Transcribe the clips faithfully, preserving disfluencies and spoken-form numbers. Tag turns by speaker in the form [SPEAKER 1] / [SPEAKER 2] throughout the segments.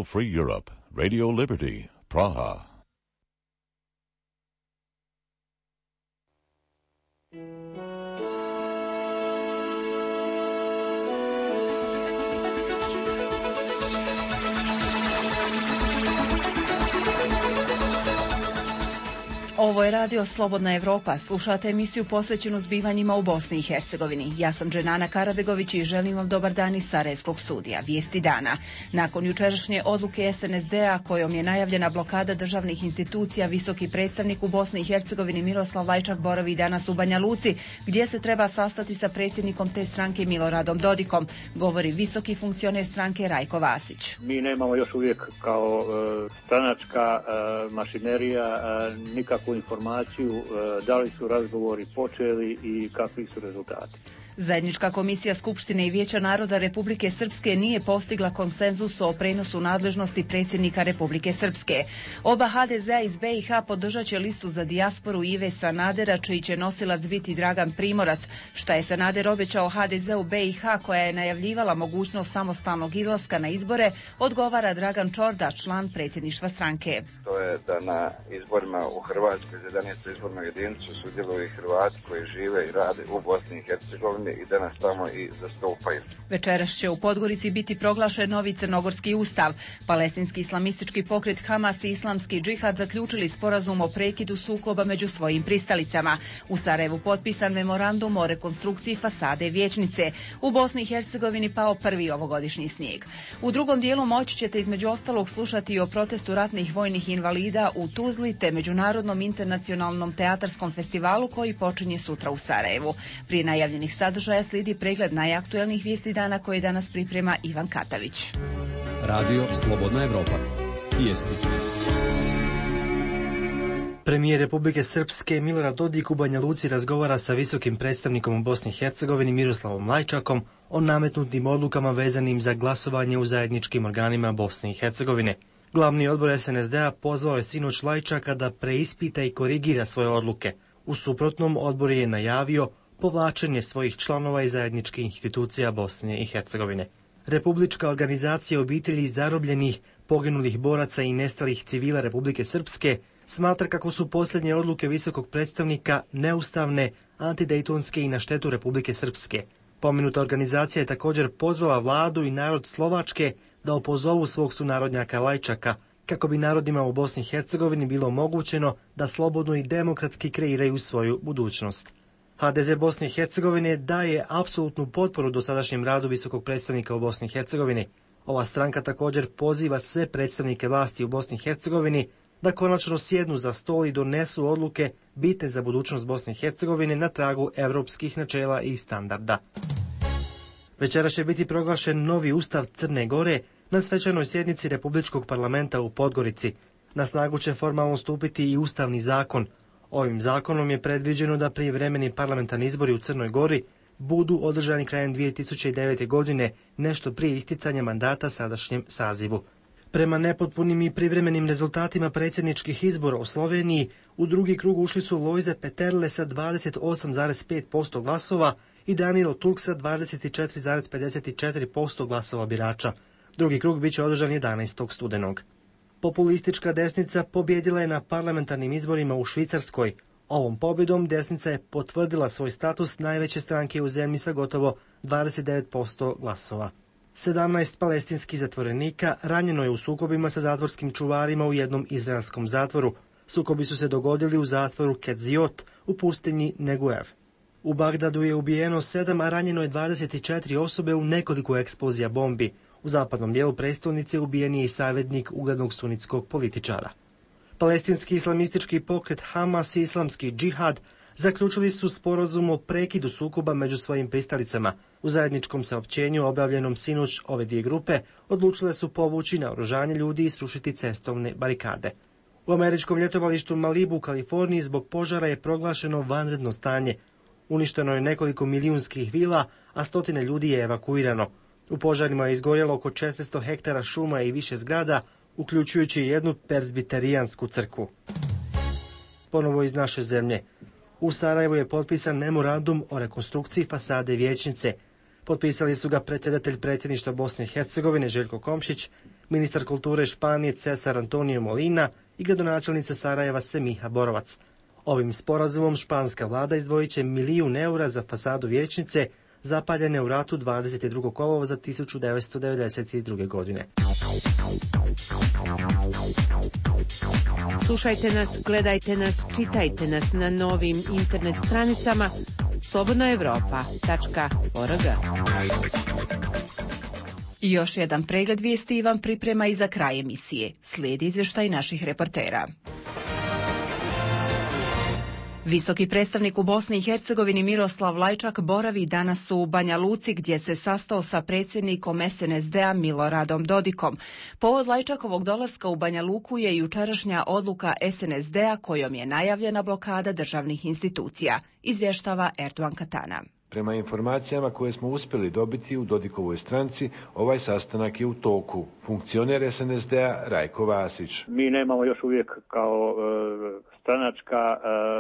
[SPEAKER 1] Free Europe, Radio Liberty, Praha.
[SPEAKER 2] Ovo je radio Slobodna Evropa. Slušate emisiju posvećenu zbivanjima u Bosni i Hercegovini. Ja sam Dženana Karabegović i želim vam dobar dan iz Sarajevskog studija. Vijesti dana. Nakon jučerašnje odluke es en es de a kojom je najavljena blokada državnih institucija, visoki predstavnik u Bosni i Hercegovini Miroslav Lajčak boravi danas u Banja Luci, gdje se treba sastati sa predsjednikom te stranke Miloradom Dodikom, govori visoki funkcioner stranke Rajko Vasić.
[SPEAKER 3] Mi nemamo još uvijek kao e, stranačka e, mašinerija e, nikakvu informaciju e, da li su razgovori počeli i kakvi su rezultati.
[SPEAKER 2] Zajednička komisija Skupštine i Vijeća naroda Republike Srpske nije postigla konsenzus o prenosu nadležnosti predsjednika Republike Srpske. Oba ha de zea iz be i ha podržat će listu za dijasporu Ive Sanadera, čiji će nosilac biti Dragan Primorac. Šta je Sanader obećao ha de zeu be i ha, koja je najavljivala mogućnost samostalnog izlaska na izbore, odgovara Dragan Čorda, član predsjedništva stranke.
[SPEAKER 4] To je da na izborima u Hrvatskoj za jedanaestu izbornu jedinicu sudjeluju Hrvati koji žive i rade u Bosni i Hercegovini i da nas tamo i zastupaju.
[SPEAKER 2] Večeras će u Podgorici biti proglašen novi crnogorski ustav. Palestinski islamistički pokret Hamas i islamski džihad zaključili sporazum o prekidu sukoba među svojim pristalicama. U Sarajevu potpisan memorandum o rekonstrukciji fasade vijećnice. U Bosni i Hercegovini pao prvi ovogodišnji snijeg. U drugom dijelu moći ćete između ostalog slušati o protestu ratnih vojnih invalida u Tuzli te Međunarodnom internacionalnom teatarskom festivalu koji počinje sutra u Sarajevu. Prije najavljenih sadržaja slijedi pregled najaktuelnijih vijesti dana koje danas priprema Ivan Katavić.
[SPEAKER 5] Radio Slobodna Evropa. Vijesti.
[SPEAKER 6] Premijer Republike Srpske Milorad Dodik u Banja Luci razgovara sa visokim predstavnikom u Bosni i Hercegovini Miroslavom Lajčakom o nametnutim odlukama vezanim za glasovanje u zajedničkim organima Bosne i Hercegovine. Glavni odbor es en es de a pozvao je sinoć Lajčaka da preispita i korigira svoje odluke. U suprotnom, odbor je najavio povlačenje svojih članova iz zajedničkih institucija Bosne i Hercegovine. Republička organizacija obitelji zarobljenih, poginulih boraca i nestalih civila Republike Srpske smatra kako su posljednje odluke visokog predstavnika neustavne, antidejtonske i na štetu Republike Srpske. Pomenuta organizacija je također pozvala vladu i narod Slovačke da opozovu svog sunarodnjaka Lajčaka, kako bi narodima u Bosni i Hercegovini bilo omogućeno da slobodno i demokratski kreiraju svoju budućnost. ha de ze Bosne i Hercegovine daje apsolutnu potporu dosadašnjem radu visokog predstavnika u Bosni i Hercegovini. Ova stranka također poziva sve predstavnike vlasti u Bosni i Hercegovini da konačno sjednu za stol i donesu odluke bitne za budućnost Bosne i Hercegovine na tragu evropskih načela i standarda. Večera će biti proglašen novi ustav Crne Gore na svečanoj sjednici Republičkog parlamenta u Podgorici. Na snagu će formalno stupiti i ustavni zakon. Ovim zakonom je predviđeno da prijevremeni parlamentarni izbori u Crnoj Gori budu održani krajem dvije tisuće devete. godine, nešto prije isticanja mandata sadašnjem sazivu. Prema nepotpunim i privremenim rezultatima predsjedničkih izbora u Sloveniji, u drugi krug ušli su Lojze Peterle sa dvadeset osam zarez pet posto glasova i Danilo Turk sa dvadeset četiri zarez pedeset četiri posto glasova birača. Drugi krug biće održan jedanaestog studenog. Populistička desnica pobjedila je na parlamentarnim izborima u Švicarskoj. Ovom pobjedom desnica je potvrdila svoj status najveće stranke u zemlji sa gotovo dvadeset devet posto glasova. sedamnaest palestinskih zatvorenika ranjeno je u sukobima sa zatvorskim čuvarima u jednom izraelskom zatvoru. Sukobi su se dogodili u zatvoru Ketziot u pustinji Neguev. U Bagdadu je ubijeno sedam, a ranjeno je dvadeset četiri osobe u nekoliko eksplozija bombi. U zapadnom dijelu prestolnice ubijen je i savjetnik uglednog sunitskog političara. Palestinski islamistički pokret Hamas i islamski džihad zaključili su sporazum o prekidu sukoba među svojim pristalicama. U zajedničkom saopćenju objavljenom sinoć ove dvije grupe odlučile su povući naoružanje ljudi i srušiti cestovne barikade. U američkom ljetovalištu Malibu u Kaliforniji zbog požara je proglašeno vanredno stanje. Uništeno je nekoliko milijunskih vila, a stotine ljudi je evakuirano. U požarima je izgorjelo oko četiristo hektara šuma i više zgrada, uključujući jednu perzbiterijansku crkvu. Ponovo iz naše zemlje. U Sarajevu je potpisan memorandum o rekonstrukciji fasade vijećnice. Potpisali su ga predsjedatelj predsjedništva Bosne i Hercegovine Željko Komšić, ministar kulture Španije Cesar Antonio Molina i gradonačelnica Sarajeva Semiha Borovac. Ovim sporazumom španska vlada izdvojit će milijun eura za fasadu vijećnice zapaljene u ratu dvadeset drugog kolovoza tisuću devetsto devedeset druge. godine.
[SPEAKER 7] Slušajte nas, gledajte nas, čitajte nas na novim internet stranicama slobodna evropa tačka org.
[SPEAKER 2] I još jedan pregled vijesti vam priprema i za kraj emisije. Slijedi izvještaj naših reportera. Visoki predstavnik u Bosni i Hercegovini Miroslav Lajčak boravi danas u Banja Luci gdje se sastao sa predsjednikom es en es de-a Miloradom Dodikom. Povod Lajčakovog dolaska u Banja Luku je jučerašnja odluka es en es de-a kojom je najavljena blokada državnih institucija, izvještava Erdogan Katana.
[SPEAKER 8] Prema informacijama koje smo uspjeli dobiti u Dodikovoj stranci, ovaj sastanak je u toku. Funkcioner es en es de-a Rajko Vasić.
[SPEAKER 3] Mi nemamo još uvijek kao e, stranačka e,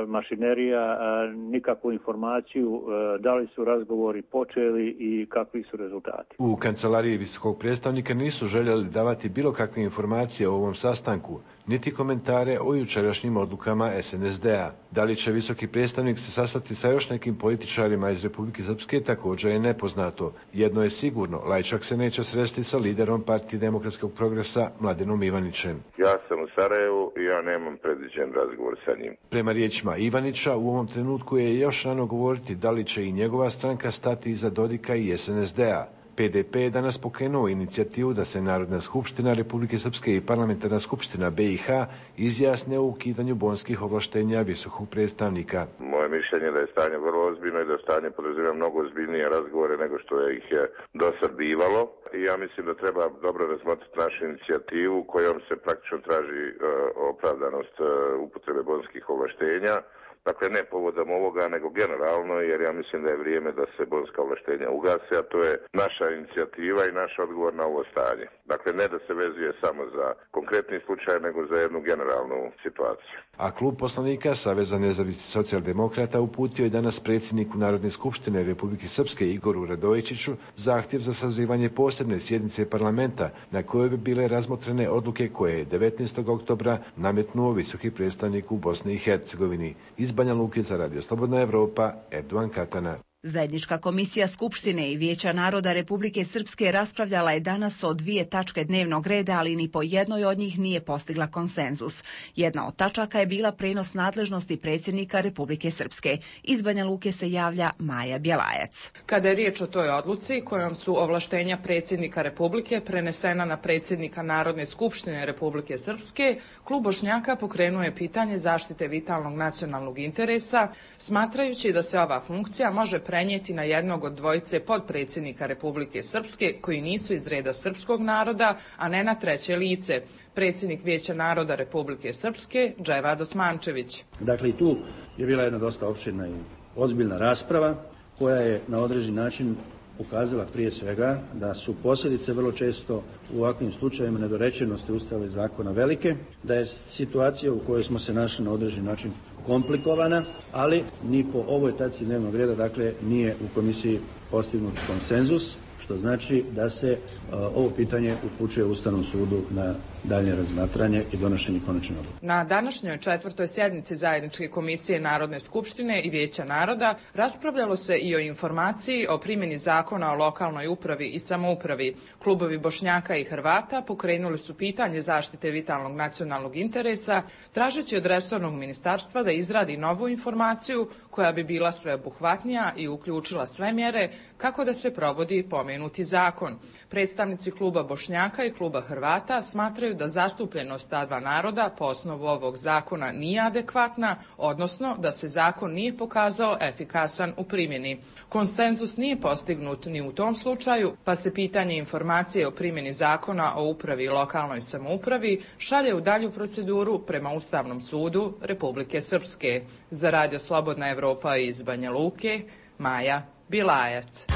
[SPEAKER 3] mašinerija e, nikakvu informaciju e, da li su razgovori počeli i kakvi su rezultati.
[SPEAKER 8] U kancelariji visokog predstavnika nisu željeli davati bilo kakve informacije o ovom sastanku, niti komentare o jučerašnjim odlukama es en es de-a. Da li će visoki predstavnik se sastati sa još nekim političarima iz Republike Srpske također je nepoznato. Jedno je sigurno, Lajčak se neće sresti sa liderom Partije demokratskog progresa Mladenom Ivanićem.
[SPEAKER 9] Ja sam u Sarajevu i ja nemam predviđen razgovor sa njim.
[SPEAKER 8] Prema riječima Ivanića, u ovom trenutku je još rano govoriti da li će i njegova stranka stati iza Dodika i es en es de-a. pe de pe je danas pokrenuo inicijativu da se Narodna skupština Republike Srpske i Parlamentarna skupština be i ha izjasne o ukidanju bonskih ovlaštenja visokog predstavnika.
[SPEAKER 9] Moje mišljenje je da je stanje vrlo ozbiljno i da stanje podrazumijeva mnogo ozbiljnije razgovore nego što je ih je do sad bivalo. I ja mislim da treba dobro razmotriti našu inicijativu kojom se praktično traži uh, opravdanost uh, upotrebe bonskih ovlaštenja. Dakle, ne povodom ovoga, nego generalno, jer ja mislim da je vrijeme da se bonska ovlaštenja ugase, a to je naša inicijativa i naš odgovor na ovo stanje. Dakle, ne da se vezuje samo za konkretni slučaj, nego za jednu generalnu situaciju.
[SPEAKER 8] A klub poslanika Saveza nezavisnih socijaldemokrata uputio je danas predsjedniku Narodne skupštine Republike Srpske Igoru Radojičiću zahtjev za sazivanje posebne sjednice parlamenta na kojoj bi bile razmotrene odluke koje je devetnaestog oktobra nametnuo visoki predstavnik u Bosni i Hercegovini. Iz Banja Luke za Radio Slobodna Evropa, Erdogan Katana.
[SPEAKER 2] Zajednička komisija Skupštine i Vijeća naroda Republike Srpske raspravljala je danas o dvije tačke dnevnog reda, ali ni po jednoj od njih nije postigla konsenzus. Jedna od tačaka je bila prenos nadležnosti predsjednika Republike Srpske. Iz Banja Luke se javlja Maja Bjelajac.
[SPEAKER 10] Kada je riječ o toj odluci kojom su ovlaštenja predsjednika Republike prenesena na predsjednika Narodne skupštine Republike Srpske, klub Bošnjaka pokrenuo je pitanje zaštite vitalnog nacionalnog interesa, smatrajući da se ova funkcija može prenijeti na jednog od dvojice podpredsjednika Republike Srpske koji nisu iz reda srpskog naroda, a ne na treće lice, predsjednik Vijeća naroda Republike Srpske Dževad Osmančević.
[SPEAKER 11] Dakle, i tu je bila jedna dosta opširna i ozbiljna rasprava koja je na određeni način ukazala prije svega da su posljedice vrlo često u ovakvim slučajevima nedorečenosti Ustava i zakona velike, da je situacija u kojoj smo se našli na određeni način komplikovana, ali ni po ovoj tački dnevnog reda, dakle, nije u komisiji postignut konsenzus, što znači da se uh, ovo pitanje upućuje Ustavnom sudu na dalje razmatranje i donošenje konačne odluke.
[SPEAKER 10] Na današnjoj četvrtoj sjednici Zajedničke komisije Narodne skupštine i Vijeća naroda raspravljalo se i o informaciji o primjeni zakona o lokalnoj upravi i samoupravi. Klubovi Bošnjaka i Hrvata pokrenuli su pitanje zaštite vitalnog nacionalnog interesa, tražeći od resornog ministarstva da izradi novu informaciju koja bi bila sveobuhvatnija i uključila sve mjere kako da se provodi pomenuti zakon. Predstavnici kluba Bošnjaka i kluba Hrvata smatraju da zastupljenost ta dva naroda po osnovu ovog zakona nije adekvatna, odnosno da se zakon nije pokazao efikasan u primjeni. Konsenzus nije postignut ni u tom slučaju, pa se pitanje informacije o primjeni zakona o upravi i lokalnoj samoupravi šalje u dalju proceduru prema Ustavnom sudu Republike Srpske. Za Radio Slobodna Evropa iz Banja Luke, Maja Bilajac.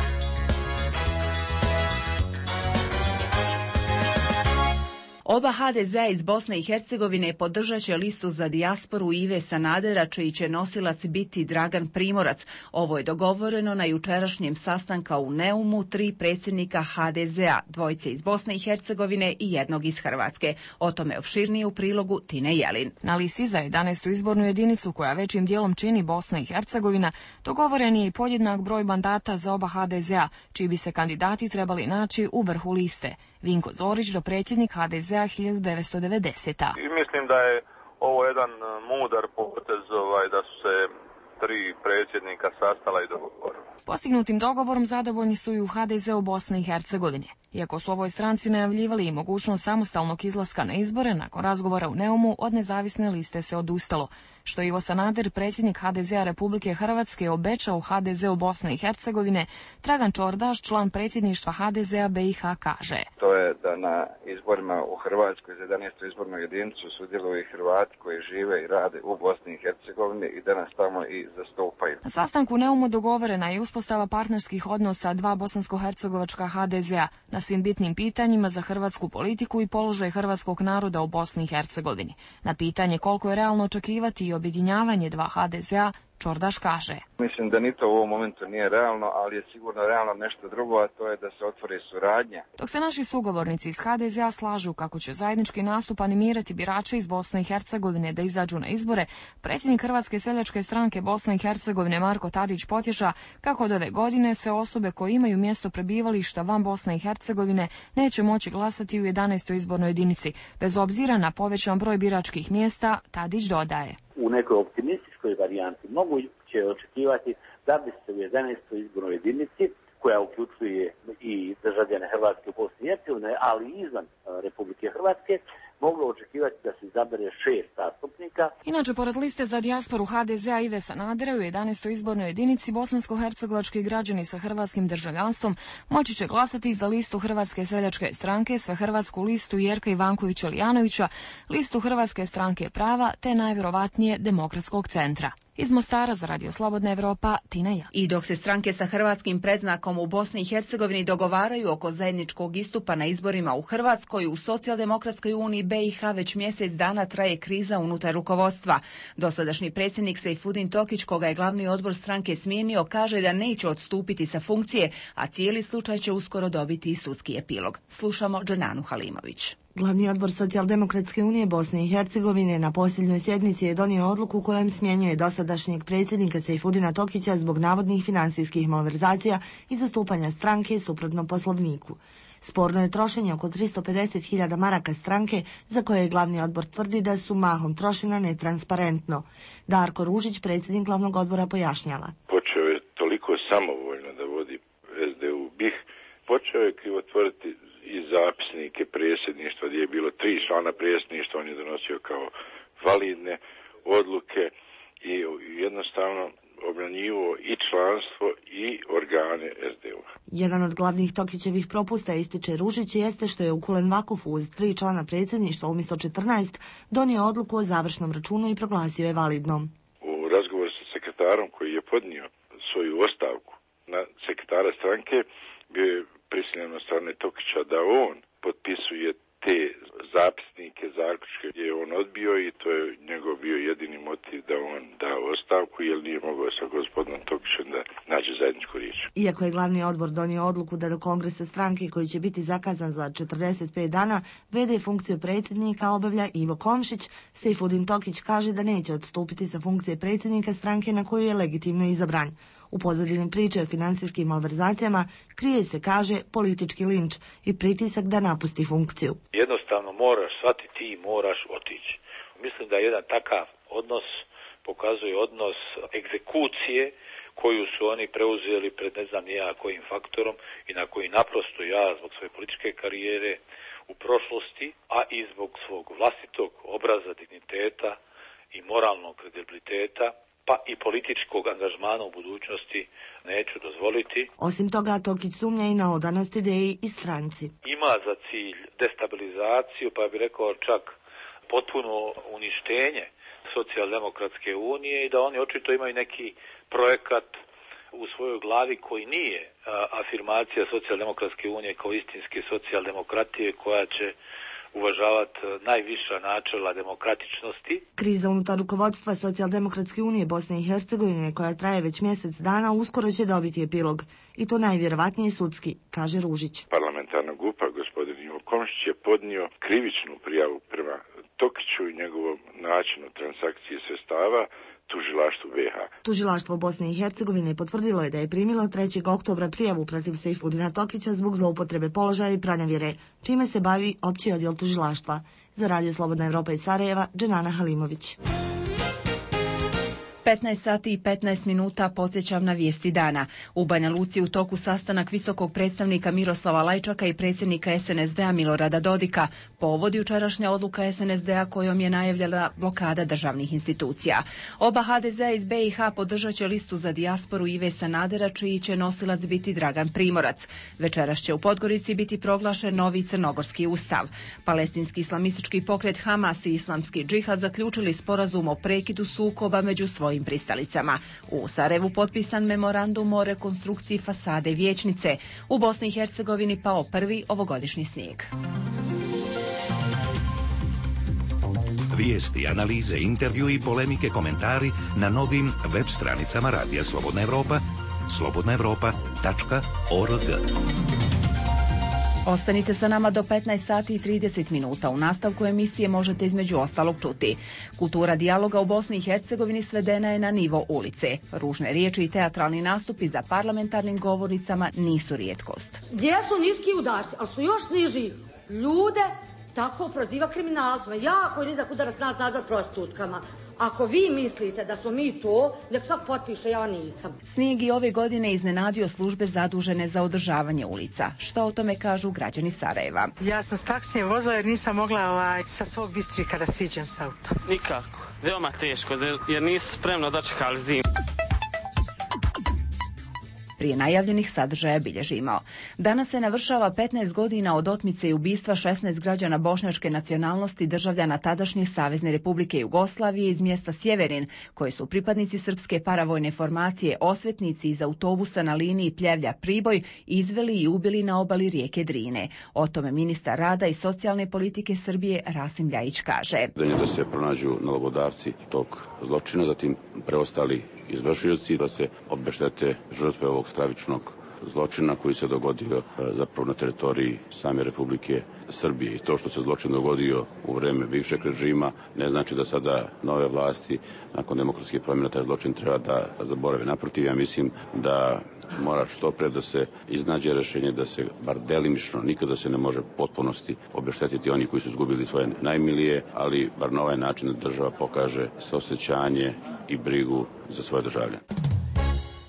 [SPEAKER 2] Oba ha de zea iz Bosne i Hercegovine podržat će listu za dijasporu Ive Sanadera, čiji će nosilac biti Dragan Primorac. Ovo je dogovoreno na jučerašnjem sastanka u Neumu tri predsjednika ha de zea, dvojice iz Bosne i Hercegovine i jednog iz Hrvatske. O tome opširnije u prilogu Tine Jelin.
[SPEAKER 12] Na listi za jedanaestu izbornu jedinicu, koja većim dijelom čini Bosna i Hercegovina, dogovoren je i podjednak broj mandata za oba ha de zea, čiji bi se kandidati trebali naći u vrhu liste. Vinko Zorić, dopredsjednik ha de zea hiljadu devetsto devedesete.
[SPEAKER 13] I mislim da je ovo jedan mudar potez, ovaj, da su se tri predsjednika sastala i dogovorili.
[SPEAKER 12] Postignutim dogovorom zadovoljni su i u ha de zeu Bosne i Hercegovine. Iako su ovoj stranci najavljivali i mogućnost samostalnog izlaska na izbore, nakon razgovora u Neumu od nezavisne liste se odustalo. Što Ivo Sanader, predsjednik ha de zea Republike Hrvatske, obećao u ha de zeu Bosne i Hercegovine, Dragan Čordaš, član predsjedništva ha de zea be i ha, kaže:
[SPEAKER 4] To je da na izborima u Hrvatskoj za jedanaestu izbornu jedinicu sudjeluju i Hrvati koji žive i rade u Bosni i Hercegovini i da nas tamo i zastupaju.
[SPEAKER 12] Na sastanku Neumu dogovorena je uspostava partnerskih odnosa dva bosansko-hercegovačka ha de zea na svim bitnim pitanjima za hrvatsku politiku i položaj hrvatskog naroda u Bosni i Hercegovini. Na pitanje koliko je realno očekivati i objedinjavanje dva ha de zea, Čordaš kaže:
[SPEAKER 4] Mislim da ni to u ovom momentu nije realno, ali je sigurno realno nešto drugo, a to je da se otvori suradnja.
[SPEAKER 12] Dok se naši sugovornici iz ha de zea slažu kako će zajednički nastup animirati birače iz Bosne i Hercegovine da izađu na izbore, predsjednik Hrvatske seljačke stranke Bosne i Hercegovine Marko Tadić potješa kako od ove godine sve osobe koje imaju mjesto prebivališta van Bosne i Hercegovine neće moći glasati u jedanaestoj izbornoj jedinici, bez obzira na povećan broj biračkih mjesta. Tadić dodaje:
[SPEAKER 14] U nekoj optimističkoj varijanti mogu će očekivati da bi se u jedanaestoj izbornoj jedinici, koja uključuje i državljane Hrvatske u Bosni i Hercegovini, ali i izvan Republike Hrvatske, moglo očekivati da se izabere šest zastupnika.
[SPEAKER 12] Inače, pored liste za dijasporu ha de zea Ive Sanadera u jedanaestoj izbornoj jedinici, bosansko-hercegovački građani sa hrvatskim državljanstvom moći će glasati za listu Hrvatske seljačke stranke, svehrvatsku listu Jerka Ivankovića-Lijanovića, listu Hrvatske stranke prava te najvjerovatnije Demokratskog centra. Iz Mostara za Radio Slobodna Evropa, Tina Jelin.
[SPEAKER 2] I dok se stranke sa hrvatskim predznakom u Bosni i Hercegovini dogovaraju oko zajedničkog istupa na izborima u Hrvatskoj, u Socijaldemokratskoj uniji be i ha već mjesec dana traje kriza unutar rukovodstva. Dosadašnji predsjednik Sejfudin Tokić, koga je glavni odbor stranke smijenio, kaže da neće odstupiti sa funkcije, a cijeli slučaj će uskoro dobiti i sudski epilog. Slušamo Dženanu Halimović.
[SPEAKER 15] Glavni odbor Socijaldemokratske unije Bosne i Hercegovine na posljednjoj sjednici je donio odluku kojom smjenjuje dosadašnjeg predsjednika Sejfudina Tokića zbog navodnih finansijskih malverzacija i zastupanja stranke suprotno poslovniku. Sporno je trošenje oko tristo pedeset hiljada maraka stranke, za koje je glavni odbor tvrdi da su mahom trošena netransparentno. Darko Ružić, predsjednik glavnog odbora, pojašnjava:
[SPEAKER 16] Počeo je toliko samovoljno da vodi es de u BiH, počeo je krivotvoriti i zapisnike predsjedništva, gdje je bilo tri člana predsjedništva, on je donosio kao validne odluke i jednostavno obranjivo i članstvo i organe es de u.
[SPEAKER 15] Jedan od glavnih Tokićevih propusta, ističe Ružić, jeste što je u Kulen Vakufu uz tri člana predsjedništva umjesto četrnaest donio odluku o završnom računu i proglasio je validnom.
[SPEAKER 16] U razgovoru sa sekretarom koji je podnio svoju ostavku na sekretara stranke, bio je prisiljen od strane Tokića da on potpisuje te zapisnike, zaključke gdje je on odbio i to je njegov bio jedini motiv da on da ostavku, jer nije mogao sa gospodinom Tokićem da nađe zajedničku riječ.
[SPEAKER 15] Iako je glavni odbor donio odluku da do kongresa stranke, koji će biti zakazan za četrdeset pet dana, vede funkciju predsjednika obavlja Ivo Komšić, Sejfudin Tokić kaže da neće odstupiti sa funkcije predsjednika stranke na koju je legitimno izabran. U pozadini priče o financijskim malverzacijama krije se, kaže, politički linč i pritisak da napusti funkciju.
[SPEAKER 17] Jednostavno moraš shvatiti i moraš otići. Mislim da jedan takav odnos pokazuje odnos egzekucije koju su oni preuzeli pred ne znam ja kojim faktorom i na koji naprosto ja zbog svoje političke karijere u prošlosti, a i zbog svog vlastitog obraza, digniteta i moralnog kredibiliteta, pa i političkog angažmana u budućnosti neću dozvoliti.
[SPEAKER 15] Osim toga, Tokić sumnja i na odanost ideji i stranci.
[SPEAKER 17] Ima za cilj destabilizaciju, pa bih rekao čak potpuno uništenje Socijaldemokratske unije i da oni očito imaju neki projekat u svojoj glavi koji nije a, afirmacija Socijaldemokratske unije kao istinske socijaldemokratije koja će uvažavati najviša načela demokratičnosti.
[SPEAKER 15] Kriza unutar rukovodstva Socijaldemokratske unije Bosne i Hercegovine, koja traje već mjesec dana, uskoro će dobiti epilog. I to najvjerovatnije sudski, kaže Ružić.
[SPEAKER 16] Parlamentarna grupa, gospodin Ivo Komšić, je podnio krivičnu prijavu prema Tokiću i njegovom načinu transakcije sredstava tužilaštvu be ha.
[SPEAKER 15] Tužilaštvo Bosne i Hercegovine potvrdilo je da je primilo trećeg oktobra prijavu protiv Sejfudina Tokića zbog zloupotrebe položaja i pranja vjere, čime se bavi opći odjel tužilaštva. Za Radio Slobodna Evropa iz Sarajeva, Dženana Halimović.
[SPEAKER 2] petnaest sati i petnaest minuta podsjećam na vijesti dana. U Banja Luci u toku sastanak visokog predstavnika Miroslava Lajčaka i predsjednika es en es de a Milorada Dodika. Povod jučerašnja odluka es en es de a kojom je najavljena blokada državnih institucija. Oba ha de zea iz be i ha podržat će listu za dijasporu Ive Sanadera, čiji će nosilac biti Dragan Primorac. Večeras će u Podgorici biti proglašen novi crnogorski ustav. Palestinski islamistički pokret Hamas i islamski džihad zaključili sporazum o prekidu sukoba među svojim pristalicama. U Sarajevu potpisan memorandum o rekonstrukciji fasade vijećnice. U Bosni i Hercegovini pao prvi ovogodišnji snijeg.
[SPEAKER 18] Vijesti, analize, intervju i polemike, komentari na novim web stranicama Radija Slobodna Evropa, slobodna evropa tačka org.
[SPEAKER 2] Ostanite sa nama do petnaest sati i trideset minuta. U nastavku emisije možete između ostalog čuti. Kultura dijaloga u Bosni i Hercegovini svedena je na nivo ulice. Ružne riječi i teatralni nastupi za parlamentarnim govornicama nisu rijetkost.
[SPEAKER 19] Gdje su niski udarci, ali su još niži ljude, tako proziva kriminalcima. Jako je nizak udarac nas nazad prostitutkama. Ako vi mislite da smo mi to, nek sad potpiše, ja nisam.
[SPEAKER 2] Snijeg i ove godine iznenadio službe zadužene za održavanje ulica. Što o tome kažu građani Sarajeva?
[SPEAKER 20] Ja sam s taksijem vozila jer nisam mogla ovaj, sa svog Bistrika da siđem s autom.
[SPEAKER 21] Nikako. Veoma teško, jer nisu spremno dočekali zimu.
[SPEAKER 2] Prije najavljenih sadržaja bilježimo. Danas se navršava petnaest godina od otmice i ubistva šesnaest građana bošnjačke nacionalnosti državljana tadašnje Savezne Republike Jugoslavije iz mjesta Sjeverin, koji su pripadnici srpske paravojne formacije Osvetnici iz autobusa na liniji Pljevlja-Priboj izveli i ubili na obali rijeke Drine. O tome ministar rada i socijalne politike Srbije Rasim Ljajić kaže.
[SPEAKER 22] Da se pronađu nalogodavci tog zločina, zatim preostali izvršioci, da se obeštete žrtve ovog stravičnog zločina koji se dogodio zapravo na teritoriji same Republike Srbije. I to što se zločin dogodio u vreme bivšeg režima ne znači da sada nove vlasti nakon demokratskih promjena taj zločin treba da zaborave. Naprotiv, ja mislim da mora što pre da se iznađe rješenje da se bar delimično, nikada se ne može potpunosti obeštetiti oni koji su izgubili svoje najmilije, ali bar na ovaj način da država pokaže saosjećanje i brigu za svoje državljane.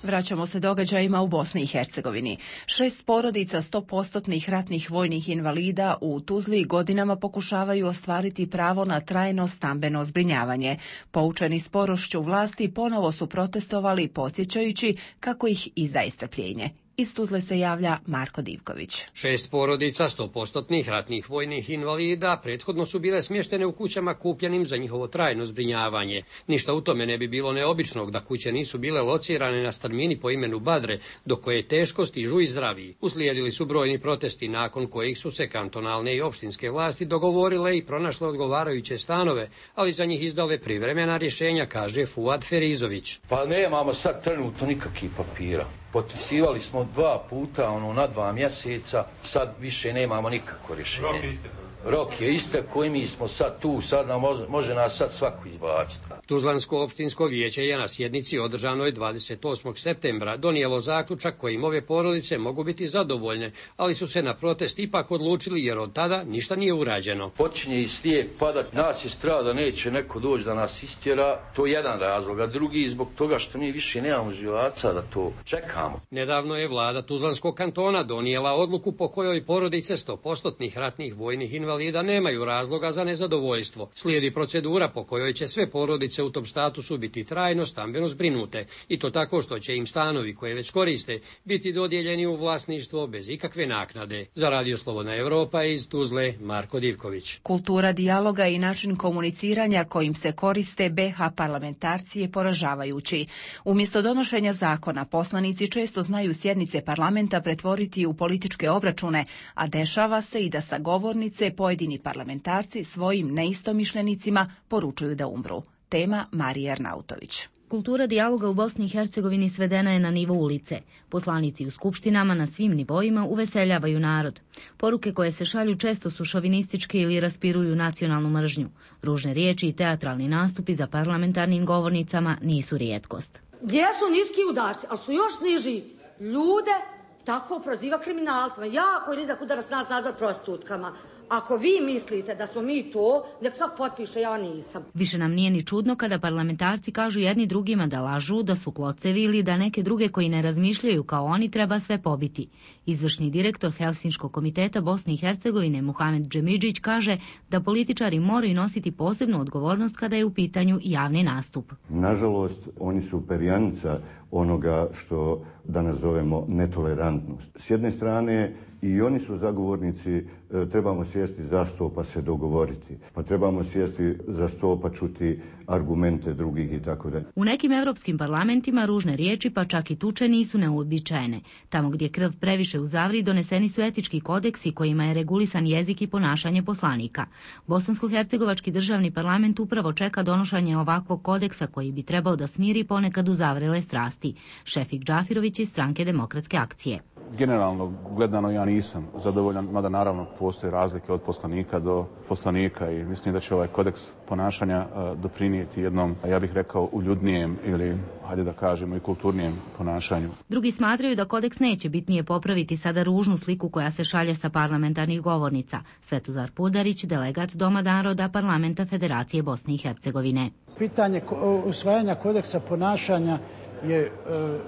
[SPEAKER 2] Vraćamo se događajima u Bosni i Hercegovini. Šest porodica sto posto ratnih vojnih invalida u Tuzli godinama pokušavaju ostvariti pravo na trajno stambeno zbrinjavanje. Poučeni sporošću vlasti ponovo su protestovali podsjećajući kako ih izdaje strpljenje. Iz Tuzle se javlja Marko Divković.
[SPEAKER 23] Šest porodica sto posto ratnih vojnih invalida prethodno su bile smještene u kućama kupljenim za njihovo trajno zbrinjavanje. Ništa u tome ne bi bilo neobičnog da kuće nisu bile locirane na strmini po imenu Badre, do koje teško stižu i zdravi. Uslijedili su brojni protesti nakon kojih su se kantonalne i opštinske vlasti dogovorile i pronašle odgovarajuće stanove, ali za njih izdale privremena rješenja, kaže Fuad Ferizović.
[SPEAKER 24] Pa nemamo sad trenutno nikakvih papira. Potpisivali smo dva puta, ono, na dva mjeseca, sad više nemamo nikakvo rješenje. Rok je istekao. Rok je istekao i mi smo sad tu, sad nam može, može nas sad svako izbaciti.
[SPEAKER 23] Tuzlansko opštinsko vijeće je na sjednici održanoj dvadeset osmog septembra donijelo zaključak kojim ove porodice mogu biti zadovoljne, ali su se na protest ipak odlučili jer od tada ništa nije urađeno.
[SPEAKER 24] Počinje i snijeg padat, nas je strah da neće neko doći da nas istjera, to je jedan razlog, a drugi zbog toga što mi više nemamo živaca da to čekamo.
[SPEAKER 23] Nedavno je vlada Tuzlanskog kantona donijela odluku po kojoj porodice sto posto ratnih vojnih invalida nemaju razloga za nezadovoljstvo. Slijedi procedura po kojoj će sve porodice u tom statusu biti trajno stambeno zbrinute i to tako što će im stanovi koje već koriste biti dodijeljeni u vlasništvo bez ikakve naknade. Za Radio Slobodna Evropa iz Tuzle, Marko Divković.
[SPEAKER 2] Kultura dijaloga i način komuniciranja kojim se koriste be ha parlamentarci je poražavajući. Umjesto donošenja zakona, poslanici često znaju sjednice parlamenta pretvoriti u političke obračune, a dešava se i da sa govornice pojedini parlamentarci svojim neistomišljenicima poručuju da umru. Tema Marija Arnautović.
[SPEAKER 1] Kultura dijaloga u Bosni i Hercegovini svedena je na nivo ulice. Poslanici u skupštinama na svim nivoima uveseljavaju narod. Poruke koje se šalju često su šovinističke ili raspiruju nacionalnu mržnju. Ružne riječi i teatralni nastupi za parlamentarnim govornicama nisu rijetkost.
[SPEAKER 19] Gdje su niski udarci, ali su još niži ljude, tako proziva kriminalcima. Jako je nizak udarac nas nazad prostitutkama. Ako vi mislite da smo mi to, nek sad potpiše, ja nisam.
[SPEAKER 1] Više nam nije ni čudno kada parlamentarci kažu jedni drugima da lažu, da su klocevi ili da neke druge koji ne razmišljaju kao oni treba sve pobiti. Izvršni direktor Helsinškog komiteta Bosne i Hercegovine Muhamed Džemidžić kaže da političari moraju nositi posebnu odgovornost kada je u pitanju javni nastup.
[SPEAKER 5] Nažalost, oni su perjanica onoga što danas zovemo netolerantnost. S jedne strane, i oni su zagovornici, trebamo sjesti za sto pa se dogovoriti. Pa trebamo sjesti za sto pa čuti argumente drugih i tako dalje.
[SPEAKER 1] U nekim evropskim parlamentima ružne riječi pa čak i tuče nisu neuobičajene. Tamo gdje krv previše uzavri doneseni su etički kodeksi kojima je regulisan jezik i ponašanje poslanika. Bosansko-hercegovački državni parlament upravo čeka donošenje ovakvog kodeksa koji bi trebao da smiri ponekad uzavrele strasti. Šefik Džafirović iz stranke Demokratske akcije.
[SPEAKER 6] Generalno gledano ja nisam zadovoljan, mada naravno postoje razlike od poslanika do poslanika i mislim da će ovaj kodeks ponašanja doprinijeti jednom, ja bih rekao, uljudnijem ili, hajde da kažemo, i kulturnijem ponašanju.
[SPEAKER 1] Drugi smatraju da kodeks neće bitnije popraviti sada ružnu sliku koja se šalje sa parlamentarnih govornica. Svetozar Pudarić, delegat Doma naroda Parlamenta Federacije Bosne i Hercegovine.
[SPEAKER 7] Pitanje usvajanja kodeksa ponašanja je e,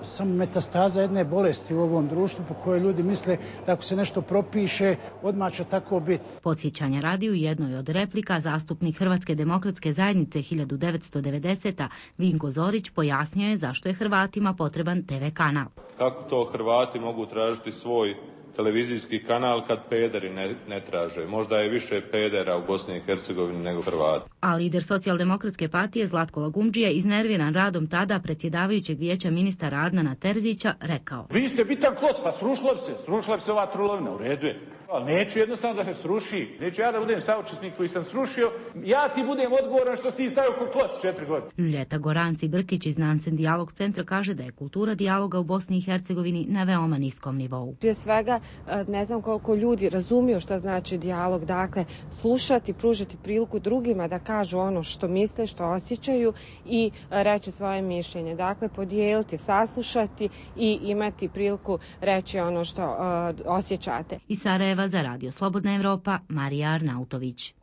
[SPEAKER 7] samo metastaza jedne bolesti u ovom društvu po kojoj ljudi misle da ako se nešto propiše, odmah će tako biti.
[SPEAKER 1] Podsjećanja radi u jednoj od replika zastupnik Hrvatske demokratske zajednice hiljadu devetsto devedesete. Vinko Zorić pojasnio je zašto je Hrvatima potreban te ve kanal.
[SPEAKER 25] Kako to Hrvati mogu tražiti svoj televizijski kanal kad pederi ne, ne traže? Možda je više pedera u Bosni i Hercegovini nego Hrvata.
[SPEAKER 1] A lider socijaldemokratske partije Zlatko Lagumdžija, iznerviran radom tada predsjedavajućeg vijeća ministara Adnana Terzića, rekao:
[SPEAKER 26] Vi ste bitan kloc, pa srušila bi se, srušila bi se ova trulovina, u redu je. Ali neću jednostavno da se sruši, neću ja da budem saučesnik koji sam srušio, ja ti budem odgovoran što si ti stavio ko kloc četiri godine.
[SPEAKER 1] Ljeta Goranci Brkić iz Nansen Dijalog centra kaže da je kultura dijaloga u Bosni i Hercegovini na veoma niskom nivou.
[SPEAKER 27] Prije svega, ne znam koliko ljudi razumiju što znači dijalog, dakle, slušati, pružiti priliku drugima da kažu ono što misle, što osjećaju i reći svoje mišljenje. Dakle, podijeliti, saslušati i imati priliku reći ono što uh, osjećate.
[SPEAKER 1] I Sarajeva za Radio Slobodna Evropa, Marija Arnautović.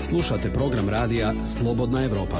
[SPEAKER 28] Slušate program radija Slobodna Evropa.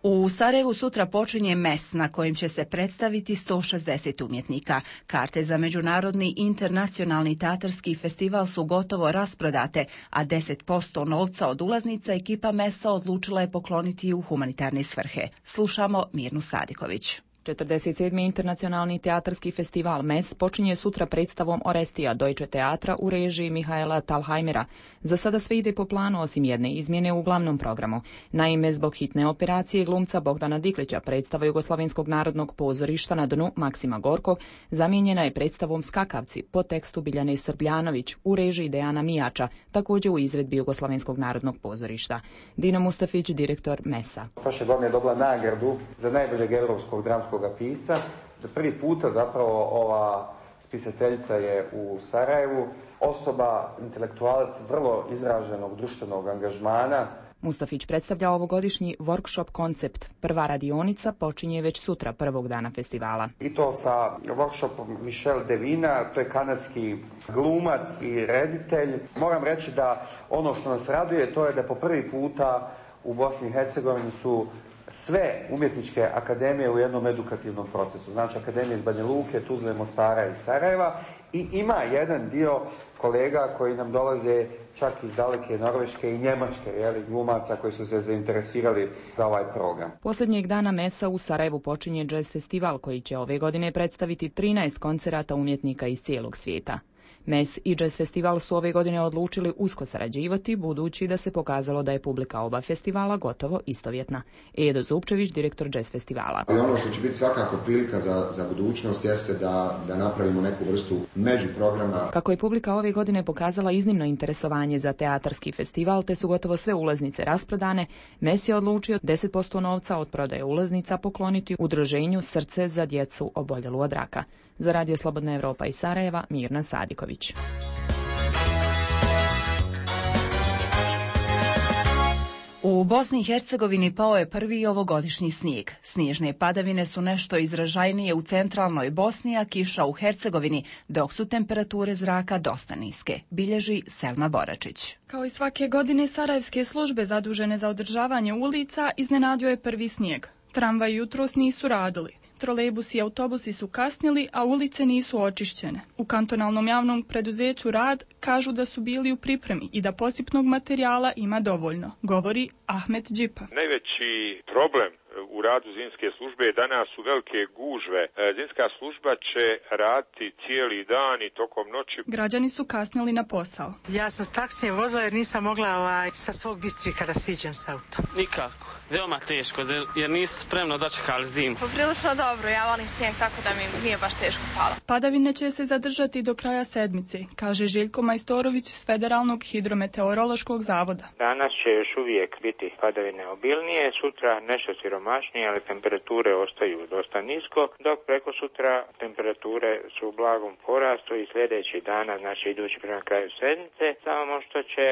[SPEAKER 2] U Sarajevu sutra počinje mes na kojim će se predstaviti sto šezdeset umjetnika. Karte za međunarodni internacionalni teatarski festival su gotovo rasprodate, a deset posto novca od ulaznica ekipa mesa odlučila je pokloniti u humanitarne svrhe. Slušamo Mirnu Sadiković.
[SPEAKER 29] četrdeset sedmi internacionalni teatarski festival Mes počinje sutra predstavom Orestija Deutsche Teatra u režiji Mihaela Talheimera. Za sada sve ide po planu osim jedne izmjene u glavnom programu. Naime, zbog hitne operacije glumca Bogdana Diklića predstava Jugoslovenskog narodnog pozorišta na dnu Maksima Gorkog zamijenjena je predstavom Skakavci po tekstu Biljane Srbljanović u režiji Dejana Mijača, također u izvedbi Jugoslovenskog narodnog pozorišta. Dino Mustafić, direktor Mesa.
[SPEAKER 30] Prošle godine je dobila nagradu za najboljeg europskog dramskog pisca. Za prvi puta zapravo ova spisateljica je u Sarajevu, osoba, intelektualac vrlo izraženog društvenog angažmana.
[SPEAKER 29] Mustafić predstavlja ovogodišnji workshop koncept. Prva radionica počinje već sutra, prvog dana festivala.
[SPEAKER 30] I to sa workshopom Michel Devina, to je kanadski glumac i reditelj. Moram reći da ono što nas raduje to je da po prvi puta u Bosni i Hercegovini su sve umjetničke akademije u jednom edukativnom procesu. Znači akademije iz Banja Luke, Tuzle, Mostara i Sarajeva. I ima jedan dio kolega koji nam dolaze čak iz daleke Norveške i Njemačke, jeli, glumaca koji su se zainteresirali za ovaj program.
[SPEAKER 29] Posljednjeg dana Mesa u Sarajevu počinje jazz festival koji će ove godine predstaviti trinaest koncerata umjetnika iz cijelog svijeta. Mes i Jazz Festival su ove godine odlučili usko sarađivati, budući da se pokazalo da je publika oba festivala gotovo istovjetna. Edo Zupčević, direktor Jazz Festivala.
[SPEAKER 3] Ali ono što će biti svakako prilika za, za budućnost jeste da, da napravimo neku vrstu međuprograma.
[SPEAKER 29] Kako je publika ove godine pokazala iznimno interesovanje za teatarski festival, te su gotovo sve ulaznice rasprodane, Mes je odlučio deset posto novca od prodaje ulaznica pokloniti udruženju Srce za djecu oboljelu od raka. Za Radio Slobodna Evropa iz Sarajeva, Mirna Sadiković.
[SPEAKER 2] U Bosni i Hercegovini pao je prvi ovogodišnji snijeg. Snježne padavine su nešto izražajnije u centralnoj Bosni, a kiša u Hercegovini, dok su temperature zraka dosta niske, bilježi Selma Boračić.
[SPEAKER 4] Kao i svake godine, sarajevske službe zadužene za održavanje ulica iznenadio je prvi snijeg. Tramvaji jutros nisu radili. Trolejbusi i autobusi su kasnili, a ulice nisu očišćene. U kantonalnom javnom preduzeću Rad kažu da su bili u pripremi i da posipnog materijala ima dovoljno, govori Ahmet Džipa.
[SPEAKER 8] Najveći problem u radu zimske službe danas su velike gužve. Zimska služba će raditi cijeli dan i tokom noći.
[SPEAKER 4] Građani su kasnili na posao.
[SPEAKER 20] Ja sam s taksijem vozila jer nisam mogla ovaj, sa svog Bistrika da siđem s autom.
[SPEAKER 21] Nikako. Veoma teško, jer nisu spremno dočekali zimu.
[SPEAKER 9] Poprilično dobro, ja volim snijeg tako da mi nije baš teško palo.
[SPEAKER 4] Padavine će se zadržati do kraja sedmice, kaže Željko Majstorović s Federalnog hidrometeorološkog zavoda.
[SPEAKER 10] Danas će još uvijek biti padavine obilnije, sutra nešto siromašnije, ali temperature ostaju dosta nisko, dok preko sutra temperature su u blagom porastu i sljedeći dana, znači idući prema kraju sedmice, samo što će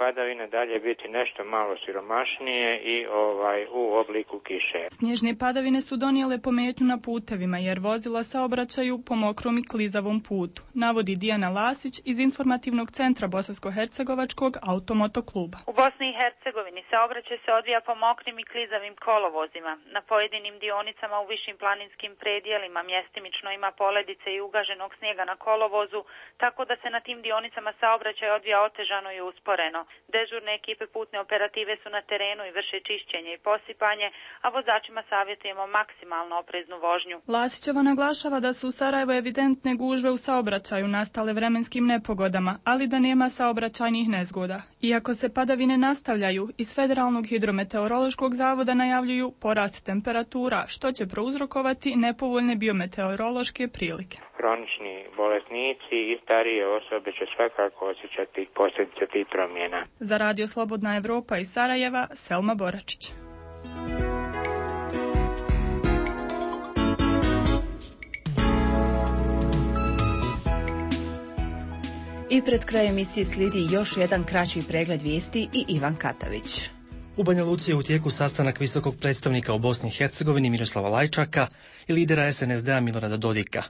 [SPEAKER 10] padavine dalje biti nešto malo siromašnije i ovaj u obliku kiše.
[SPEAKER 4] Snježne padavine su donijele pometnju na putevima jer vozila saobraćaju po mokrom i klizavom putu, navodi Dijana Lasić iz informativnog centra Bosansko-hercegovačkog automotokluba.
[SPEAKER 11] U Bosni i Hercegovini saobraćaj se odvija po mokrim i klizavim kolovozima. Na pojedinim dionicama u višim planinskim predijelima mjestimično ima poledice i ugaženog snijega na kolovozu, tako da se na tim dionicama saobraćaj odvija otežano i usporeno. Dežurne ekipe putne operative su na terenu i vrše čišćenje i posipanje, a vozačima savjetujemo maksimalno opreznu vožnju.
[SPEAKER 4] Lasićeva naglašava da su u Sarajevu evidentne gužve u saobraćaju nastale vremenskim nepogodama, ali da nema saobraćajnih nezgoda. Iako se padavine nastavljaju, iz Federalnog hidrometeorološkog zavoda najavljuju porast temperatura, što će prouzrokovati nepovoljne biometeorološke prilike.
[SPEAKER 10] Kronični bolesnici i starije osobe će svakako osjećati posljedice tih promjena.
[SPEAKER 4] Za Radio Slobodna Evropa iz Sarajeva, Selma Boračić.
[SPEAKER 2] I pred krajem emisije slijedi još jedan kraći pregled vijesti i Ivan Katavić.
[SPEAKER 12] U Banja Luci je u tijeku sastanak visokog predstavnika u Bosni i Hercegovini Miroslava Lajčaka i lidera es en es de a Milorada Dodika.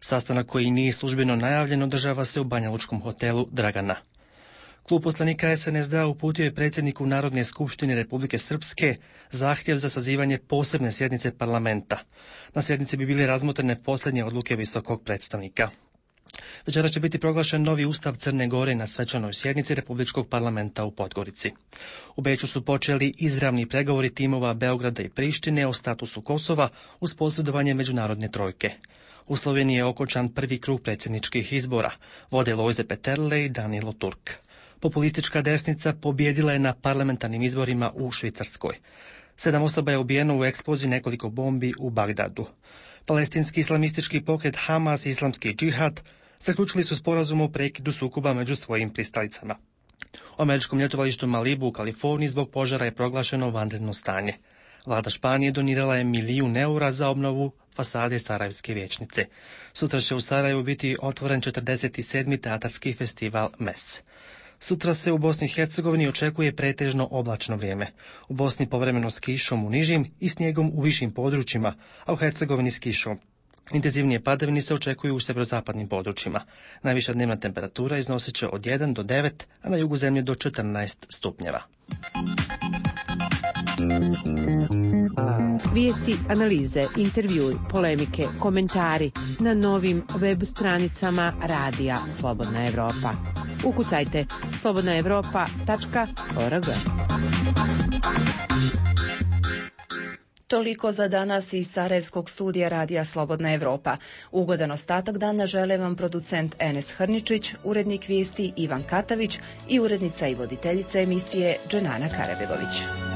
[SPEAKER 12] Sastanak koji nije službeno najavljen održava se u banjalučkom hotelu Dragana. Klub poslanika es en es de a uputio je predsjedniku Narodne skupštine Republike Srpske zahtjev za sazivanje posebne sjednice parlamenta. Na sjednici bi bile razmotrene posljednje odluke visokog predstavnika. Večera će biti proglašen novi ustav Crne Gore na svečanoj sjednici Republičkog parlamenta u Podgorici. U Beču su počeli izravni pregovori timova Beograda i Prištine o statusu Kosova uz posredovanje međunarodne trojke. U Sloveniji je okončan prvi krug predsjedničkih izbora, vode Lojze Peterle i Danilo Turk. Populistička desnica pobjedila je na parlamentarnim izborima u Švicarskoj. Sedam osoba je ubijeno u eksploziji nekoliko bombi u Bagdadu. Palestinski islamistički pokret Hamas i islamski džihad zaključili su sporazum o prekidu sukoba među svojim pristalicama. U američkom ljetovalištu Malibu u Kaliforniji zbog požara je proglašeno vanredno stanje. Vlada Španije donirala je milijun eura za obnovu fasade Sarajevske vijećnice. Sutra će u Sarajevu biti otvoren četrdeset sedmi teatarski festival Mes. Sutra se u Bosni i Hercegovini očekuje pretežno oblačno vrijeme. U Bosni povremeno s kišom u nižim i snijegom u višim područjima, a u Hercegovini s kišom. Intenzivnije padavine se očekuju u sjeverozapadnim područjima. Najviša dnevna temperatura iznosit će od jedan do devet, a na jugu zemlje do četrnaest stupnjeva.
[SPEAKER 13] Vijesti, analize, intervjui, polemike, komentari na novim web stranicama Radija Slobodna Evropa. Ukucajte slobodna evropa tačka org.
[SPEAKER 2] Toliko za danas iz Sarajevskog studija Radija Slobodna Evropa. Ugodan ostatak dana žele vam producent Enes Hrničić, urednik vijesti Ivan Katavić i urednica i voditeljica emisije Dženana Karabegović.